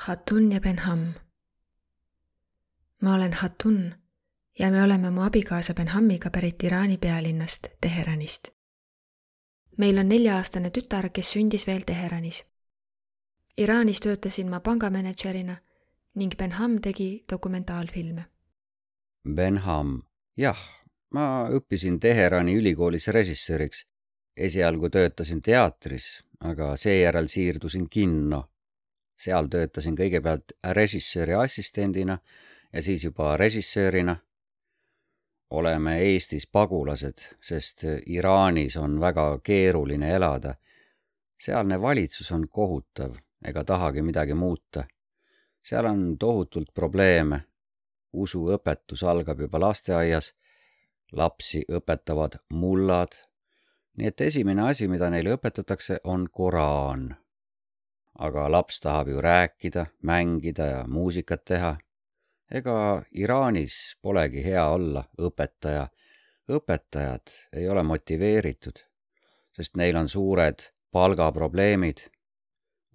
Hatun ja Benham. Ma olen Hatun ja me oleme mu abikaasa Benhamiga pärit Iraani pealinnast Teheranist. Meil on 4-aastane tütar, kes sündis veel Teheranis. Iraanis töötasin ma pangamanagerina ning Benham tegi dokumentaalfilme. Benham. Jah, ma õppisin Teherani ülikoolis režissööriks. Esialgu töötasin teatris, aga seejärel siirdusin kinno. Seal töötasin kõigepealt režissööri assistendina ja siis juba režissöörina. Oleme Eestis pagulased, sest Iraanis on väga keeruline elada. Sealne valitsus on kohutav ega tahagi midagi muuta. Seal on tohutult probleeme. Usuõpetus algab juba lasteaias, lapsi õpetavad mullad. Nii et esimene asi, mida neile õpetatakse, on Koraan. Aga laps tahab ju rääkida, mängida ja muusikat teha. Ega Iraanis polegi hea olla õpetaja. Õpetajad ei ole motiveeritud, sest neil on suured palgaprobleemid.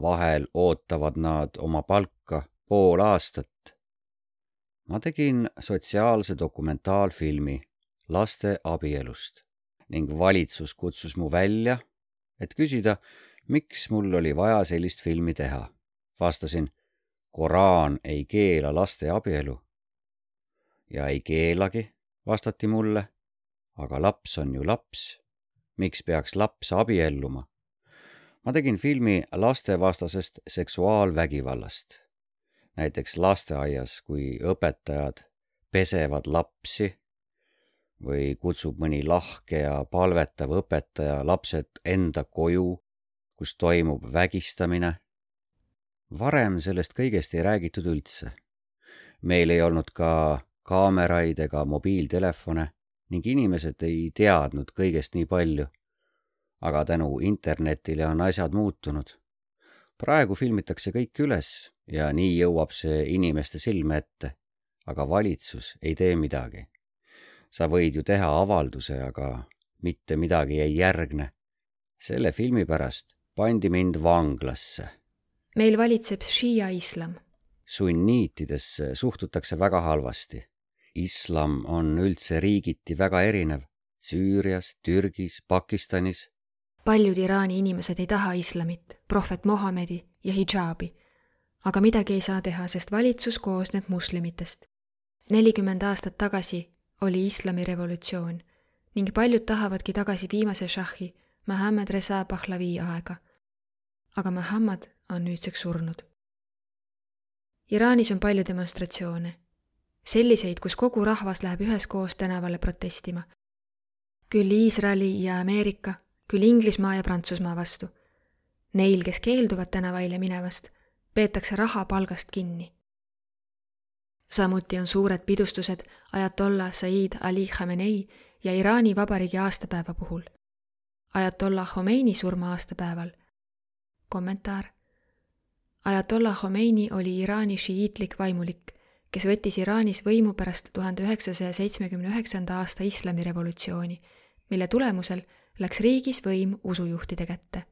Vahel ootavad nad oma palka pool aastat. Ma tegin sotsiaalse dokumentaalfilmi laste abielust ning valitsus kutsus mu välja, et küsida, miks mul oli vaja sellist filmi teha. Vastasin, Koraan ei keela laste abielu. Ja ei keelagi, vastati mulle, aga laps on ju laps. Miks peaks laps abielluma? Ma tegin filmi lastevastasest seksuaalvägivallast. Näiteks lasteaias, kui õpetajad pesevad lapsi või kutsub mõni lahke ja palvetav õpetaja lapsed enda koju, kus toimub vägistamine. Varem sellest kõigest ei räägitud üldse. Meil ei olnud ka kaameraid ega mobiiltelefone ning inimesed ei teadnud kõigest nii palju. Aga tänu internetile on asjad muutunud. Praegu filmitakse kõik üles ja nii jõuab see inimeste silme ette, aga valitsus ei tee midagi. Sa võid ju teha avalduse, aga mitte midagi ei järgne. Selle filmi pärast pandi mind vanglasse. Meil valitseb šiia islam. Sunniitidesse suhtutakse väga halvasti. Islam on üldse riigiti väga erinev. Süürias, Türgis, Pakistanis. Paljud Iraani inimesed ei taha islamit, prohvet Mohamedi ja hidžaabi. Aga midagi ei saa teha, sest valitsus koosneb muslimitest. 40 aastat tagasi oli islami revolutsioon ning paljud tahavadki tagasi viimase šahhi Mohammed Reza Pahlavi aega. Aga Mohammed on nüüdseks surnud. Iraanis on palju demonstratsioone. Selliseid, kus kogu rahvas läheb üheskoos tänavale protestima. Küll Iisraeli ja Ameerika, küll Inglismaa ja Prantsusmaa vastu. Neil, kes keelduvad tänavaile minevast, peetakse raha palgast kinni. Samuti on suured pidustused Ajatollah Said Ali Khamenei ja Iraani vabariigi aastapäeva puhul. Ajatollah Khomeini surma aastapäeval. Kommentaar. Ajatollah Khomeini oli Iraani šiiitlik vaimulik, kes võttis Iraanis võimu pärast 1979. aasta islamirevolutsiooni, mille tulemusel läks riigis võim usujuhtide kätte.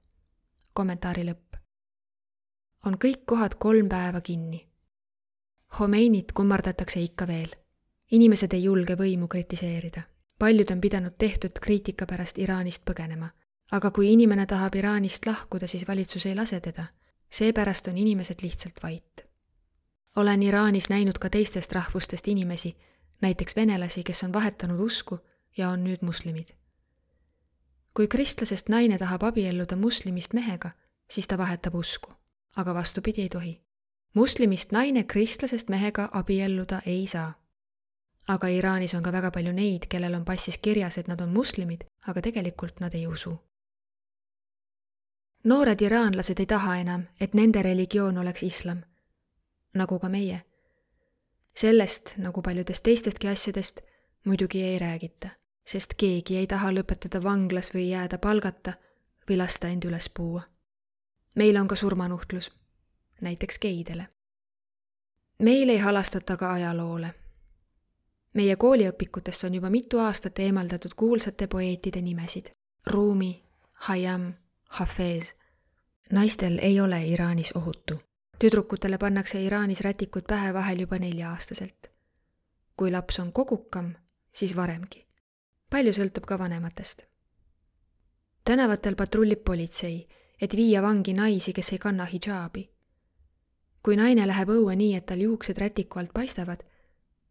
Kommentaari lõpp. On kõik kohad 3 päeva kinni. Khomeinit kummardatakse ikka veel. Inimesed ei julge võimu kritiseerida. Paljud on pidanud tehtud kriitika pärast Iraanist põgenema. Aga kui inimene tahab Iraanist lahkuda, siis valitsus ei lase teda. Seepärast on inimesed lihtsalt vait. Olen Iraanis näinud ka teistest rahvustest inimesi, näiteks venelasi, kes on vahetanud usku ja on nüüd muslimid. Kui kristlasest naine tahab abielluda muslimist mehega, siis ta vahetab usku, aga vastupidi ei tohi. Muslimist naine kristlasest mehega abielluda ei saa. Aga Iraanis on ka väga palju neid, kellel on passis kirjas, et nad on muslimid, aga tegelikult nad ei usu. Noored iraanlased ei taha enam, et nende religioon oleks islam, nagu ka meie. Sellest, nagu paljudest teistestki asjadest, muidugi ei räägita, sest keegi ei taha lõpetada vanglas või jääda palgata või lasta end üles puua. Meil on ka surmanuhtlus, näiteks geidele. Meil ei halastata ka ajaloole. Meie kooliõpikutest on juba mitu aastat eemaldatud kuulsate poeetide nimesid. Rumi, Hayam, Hafez. Naistel ei ole Iraanis ohutu. Tüdrukutele pannakse Iraanis rätikud pähe vahel juba 4-aastaselt. Kui laps on kogukam, siis varemgi. Palju sõltub ka vanematest. Tänavatel patrullib politsei, et viia vangi naisi, kes ei kanna hidžaabi. Kui naine läheb õue nii, et tal juuksed rätiku alt paistavad,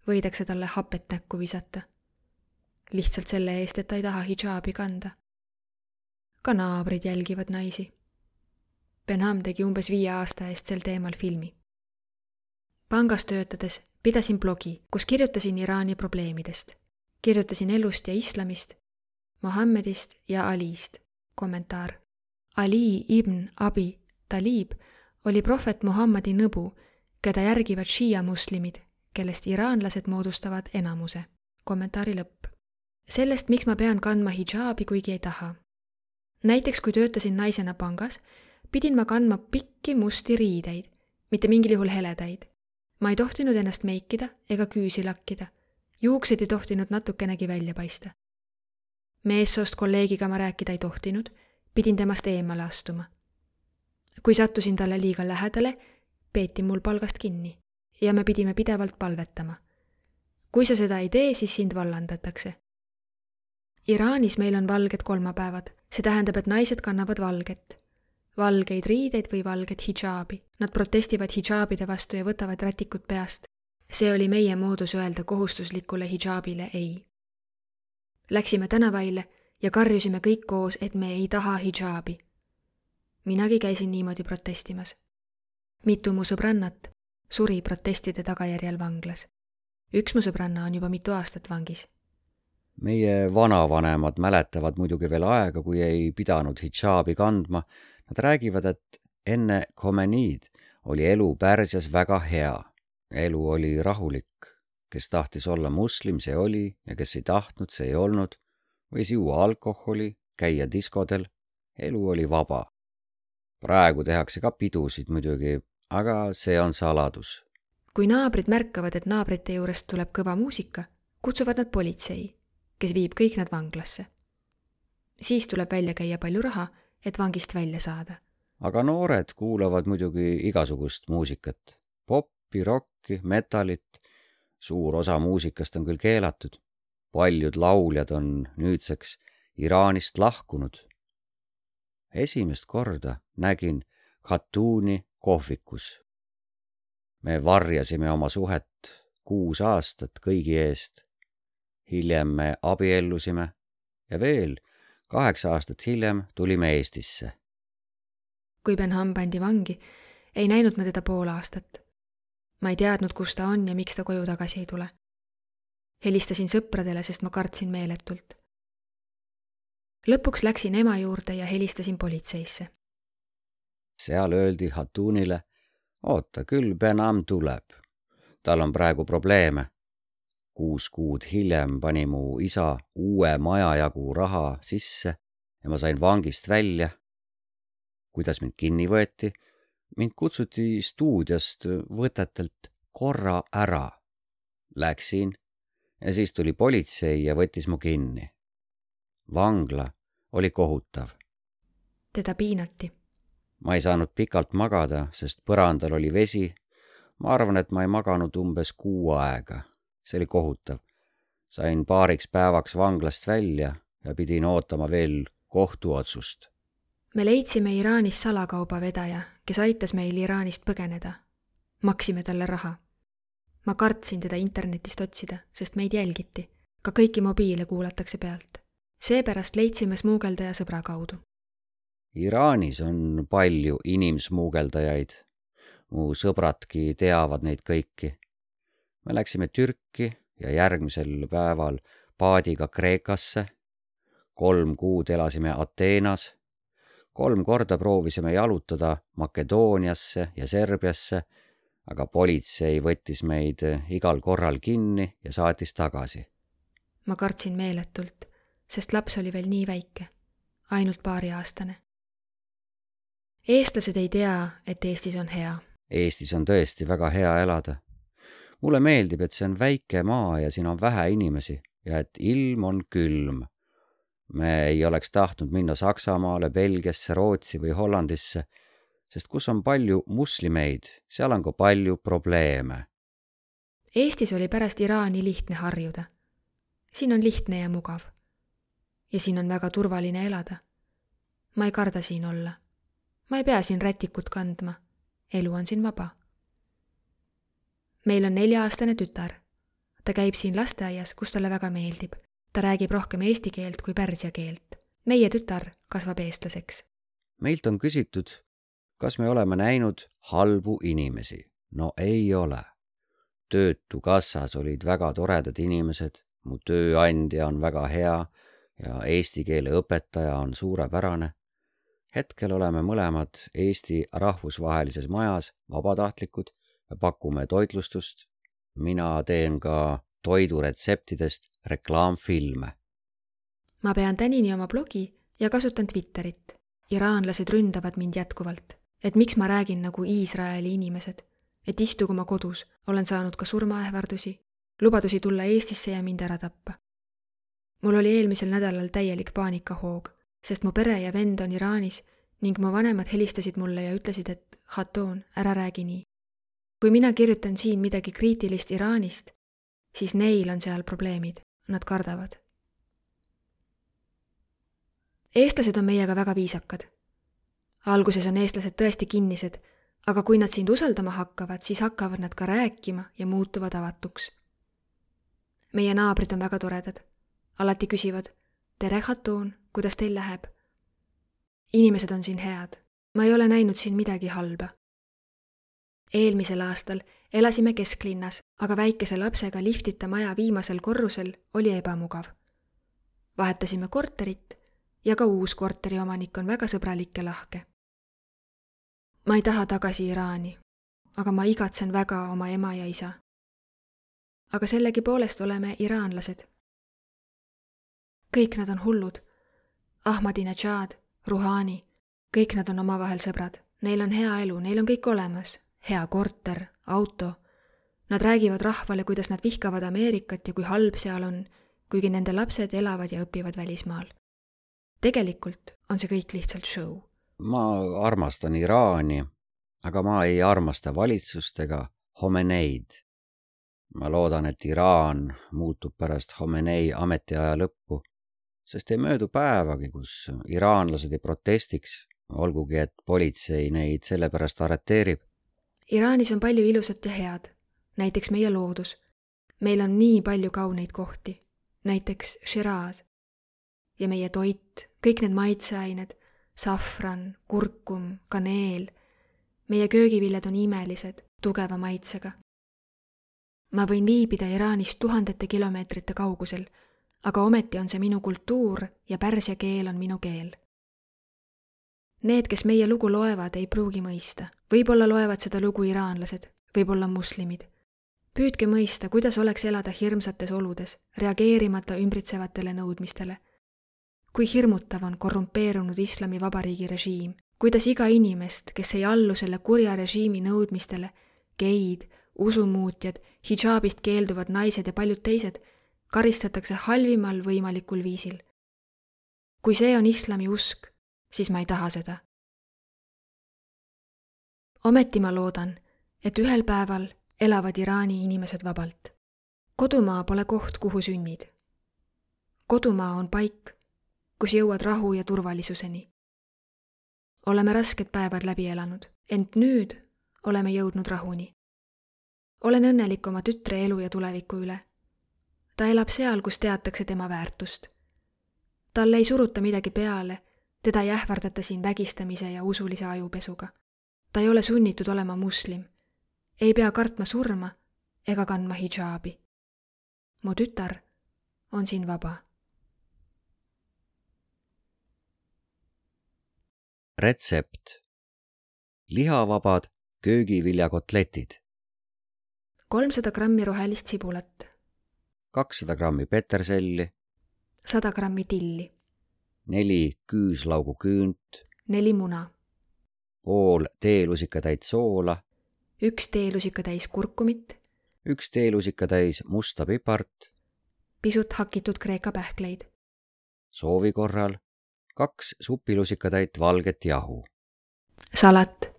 võidakse talle hapet näkku visata. Lihtsalt selle eest, et ta ei taha hidžaabi kanda. Ka naabrid jälgivad naisi. Benham tegi umbes 5 aasta eest sel teemal filmi. Pangas töötades pidasin blogi, kus kirjutasin Iraani probleemidest. Kirjutasin elust ja islamist, Mohammedist ja Alist. Kommentaar. Ali ibn Abi Talib oli prohvet Muhammadi nõbu, keda järgivad šiia muslimid, kellest iraanlased moodustavad enamuse. Kommentaari lõpp. Sellest, miks ma pean kandma hidžaabi, kuigi ei taha. Näiteks, kui töötasin naisena pangas, pidin ma kandma pikki musti riideid, mitte mingil juhul heledaid. Ma ei tohtinud ennast meikida ega küüsi lakkida. Juuksed ei tohtinud natukenegi välja paista. Meessoost kolleegiga ma rääkida ei tohtinud, pidin temast eemale astuma. Kui sattusin talle liiga lähedale, peeti mul palgast kinni ja me pidime pidevalt palvetama. Kui sa seda ei tee, siis sind vallandatakse. Iraanis meil on valged kolmapäevad. See tähendab, et naised kannavad valget. Valgeid riideid või valget hidžaabi. Nad protestivad hidžaabide vastu ja võtavad rätikud peast. See oli meie moodus öelda kohustuslikule hidžaabile ei. Läksime tänavaille ja karjusime kõik koos, et me ei taha hidžaabi. Minagi käisin niimoodi protestimas. Mitu mu sõbrannat suri protestide tagajärjel vanglas. Üks mu sõbranna on juba mitu aastat vangis. Meie vanavanemad mäletavad muidugi veel aega, kui ei pidanud hidžaabi kandma. Nad räägivad, et enne Khomeiniid oli elu Pärsias väga hea. Elu oli rahulik. Kes tahtis olla muslim, see oli, ja kes ei tahtnud, see ei olnud. Võis juua alkoholi, käia diskodel. Elu oli vaba. Praegu tehakse ka pidusid muidugi, aga see on saladus. Kui naabrid märkavad, et naabrite juurest tuleb kõva muusika, kutsuvad nad politsei, kes viib kõik nad vanglasse. Siis tuleb välja käia palju raha, et vangist välja saada. Aga noored kuulavad muidugi igasugust muusikat. Poppi, rocki, metalit. Suur osa muusikast on küll keelatud. Paljud lauljad on nüüdseks Iraanist lahkunud. Esimest korda nägin Khatouni kohvikus. Me varjasime oma suhet 6 aastat kõigi eest. Hiljem me abiellusime ja veel 8 aastat hiljem tulime Eestisse. Kui Benham pandi vangi, ei näinud ma teda pool aastat. Ma ei teadnud, kus ta on ja miks ta koju tagasi ei tule. Helistasin sõpradele, sest ma kartsin meeletult. Lõpuks läksin ema juurde ja helistasin politseisse. Seal öeldi Khatounile, oota, küll Benham tuleb. Tal on praegu probleeme. 6 kuud hiljem pani mu isa uue majajagu raha sisse ja ma sain vangist välja. Kuidas mind kinni võeti? Mind kutsuti stuudiost võtetelt korra ära. Läksin ja siis tuli politsei ja võttis mu kinni. Vangla oli kohutav. Teda piinati. Ma ei saanud pikalt magada, sest põrandal oli vesi. Ma arvan, et ma ei maganud umbes 6 aega. See oli kohutav. Sain paariks päevaks vanglast välja ja pidin ootama veel kohtuotsust. Me leidsime Iraanis salakaubavedaja, kes aitas meil Iraanist põgeneda. Maksime talle raha. Ma kartsin teda internetist otsida, sest meid jälgiti. Ka kõiki mobiile kuulatakse pealt. Seepärast leidsime smuugeldaja sõbra kaudu. Iraanis on palju inimsmuugeldajaid. Mu sõbradki teavad neid kõiki. Me läksime Türki ja järgmisel päeval paadiga Kreekasse. 3 kuud elasime Ateenas. 3 korda proovisime jalutada Makedooniasse ja Serbiasse, aga politsei võttis meid igal korral kinni ja saatis tagasi. Ma kartsin meeletult, sest laps oli veel nii väike, ainult 2-aastane. Eestlased ei tea, et Eestis on hea. Eestis on tõesti väga hea elada. Mulle meeldib, et see on väike maa ja siin on vähe inimesi ja et ilm on külm. Me ei oleks tahtnud minna Saksamaale, Belgiasse, Rootsi või Hollandisse, sest kus on palju muslimeid, seal on ka palju probleeme. Eestis oli pärast Iraani lihtne harjuda. Siin on lihtne ja mugav. Ja siin on väga turvaline elada. Ma ei karda siin olla. Ma ei pea siin rätikut kandma. Elu on siin vaba. Meil on 4-aastane tütar. Ta käib siin lasteaias, kus talle väga meeldib. Ta räägib rohkem eesti keelt kui pärsia keelt. Meie tütar kasvab eestlaseks. Meilt on küsitud, kas me oleme näinud halbu inimesi. No ei ole. Töötukassas olid väga toredad inimesed, mu tööandja on väga hea ja eesti keele õpetaja on suurepärane. Hetkel oleme mõlemad Eesti rahvusvahelises majas vabatahtlikud ja pakume toitlustust. Mina teen ka toiduretseptidest reklaamfilme. Ma pean tänini oma blogi ja kasutan Twitterit. Iraanlased ründavad mind jätkuvalt, et miks ma räägin nagu Iisraeli inimesed, et istugu oma kodus, olen saanud ka surmaähvardusi, lubadusi tulla Eestisse ja mind ära tappa. Mul oli eelmisel nädalal täielik paanikahoog, sest mu pere ja vend on Iraanis ning mu vanemad helistasid mulle ja ütlesid, et Khatun, ära räägi nii. Kui mina kirjutan siin midagi kriitilist Iraanist, siis neil on seal probleemid, nad kardavad. Eestlased on meiega väga viisakad. Alguses on eestlased tõesti kinnised, aga kui nad sind usaldama hakkavad, siis hakkavad nad ka rääkima ja muutuvad avatuks. Meie naabrid on väga toredad. Alati küsivad, tere Khatun, kuidas teil läheb? Inimesed on siin head. Ma ei ole näinud siin midagi halba. Eelmisel aastal elasime kesklinnas, aga väikese lapsega liftita maja viimasel korrusel oli ebamugav. Vahetasime korterit ja ka uus korteri omanik on väga sõbralik ja lahke. Ma ei taha tagasi Iraani, aga ma igatsen väga oma ema ja isa. Aga sellegipoolest oleme iraanlased. Kõik nad on hullud. Ahmadinejad, Rouhani, kõik nad on omavahel sõbrad. Neil on hea elu, neil on kõik olemas. Hea korter, auto. Nad räägivad rahvale, kuidas nad vihkavad Ameerikat ja kui halb seal on, kuigi nende lapsed elavad ja õpivad välismaal. Tegelikult on see kõik lihtsalt show. Ma armastan Iraani, aga ma ei armasta valitsust ega Khomeneid. Ma loodan, et Iraan muutub pärast Khomenei ametiaja lõppu, sest ei möödu päevagi, kus iraanlased ei protestiks, olgugi et politsei neid sellepärast arreteerib. Iraanis on palju ilusat ja head, näiteks meie loodus. Meil on nii palju kauneid kohti, näiteks Shiraz. Ja meie toit, kõik need maitseained, safran, kurkum, kaneel. Meie köögiviljad on imelised, tugeva maitsega. Ma võin viibida Iraanist 1000 kilomeetrite kaugusel, aga ometi on see minu kultuur ja pärsia keel on minu keel. Need, kes meie lugu loevad, ei pruugi mõista. Võib-olla loevad seda lugu iraanlased, võib-olla muslimid. Püüdke mõista, kuidas oleks elada hirmsates oludes, reageerimata ümbritsevatele nõudmistele. Kui hirmutav on korrumpeerunud islami vabariigi režiim, kuidas iga inimest, kes ei allu selle kurja režiimi nõudmistele, geid, usumuutjad, hidžaabist keelduvad naised ja paljud teised, karistatakse halvimal võimalikul viisil. Kui see on islami usk, siis ma ei taha seda. Ometi ma loodan, et ühel päeval elavad Iraani inimesed vabalt. Kodumaa pole koht, kuhu sünnid. Kodumaa on paik, kus jõuad rahu ja turvalisuseni. Oleme rasked päevad läbi elanud, ent nüüd oleme jõudnud rahuni. Olen õnnelik oma tütre elu ja tuleviku üle. Ta elab seal, kus teatakse tema väärtust. Talle ei suruta midagi peale, teda ei ähvardata siin vägistamise ja usulise ajupesuga. Ta ei ole sunnitud olema muslim, ei pea kartma surma ega kandma hidžaabi. Mu tütar on siin vaba. Retsept. Lihavabad köögiviljakotletid. 300 grammi rohelist sibulat. 200 grammi peterselli. 100 grammi tilli. 4 küüslaugu küünt. 4 muna. Pool teelusikatäit soola. 1 teelusikatäis kurkumit. 1 teelusikatäis musta pipart. Pisut hakitud kreeka pähkleid. Soovi korral 2 supilusikatäit valget jahu. Salat.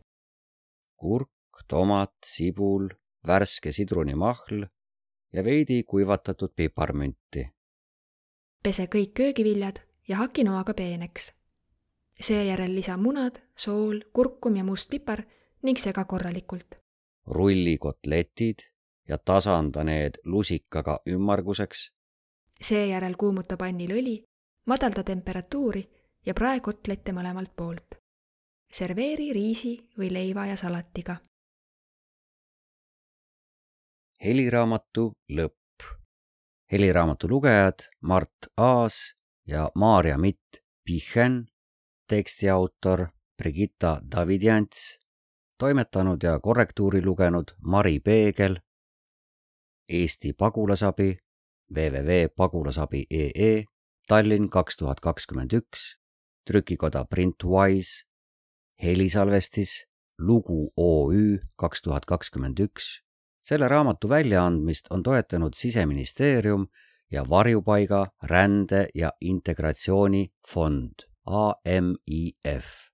kurk, tomat, sibul, värske sidrunimahl ja veidi kuivatatud piparmünti. Pese kõik köögiviljad ja haki noaga peeneks. Seejärel lisa munad, sool, kurkum ja must pipar ning sega korralikult. Rulli kotletid ja tasanda need lusikaga ümmarguseks. Seejärel kuumuta pannil õli, madalda temperatuuri ja prae kotlette mõlemalt poolt. Serveeri riisi või leiva ja salatiga. Heliraamatu lõpp. Heliraamatu lugejad Mart Aas ja Maarja Mitt Pichen, tekstiautor Brigitta Davidjants, toimetanud ja korrektuuri lugenud Mari Peegel, Eesti Pagulasabi, www.pagulasabi.ee, Tallinn 2021, trükikoda Printwise, helisalvestis, Lugu OÜ 2021. Selle raamatu väljaandmist on toetanud Siseministeerium ja Varjupaiga, rände ja integratsiooni fond AMIF.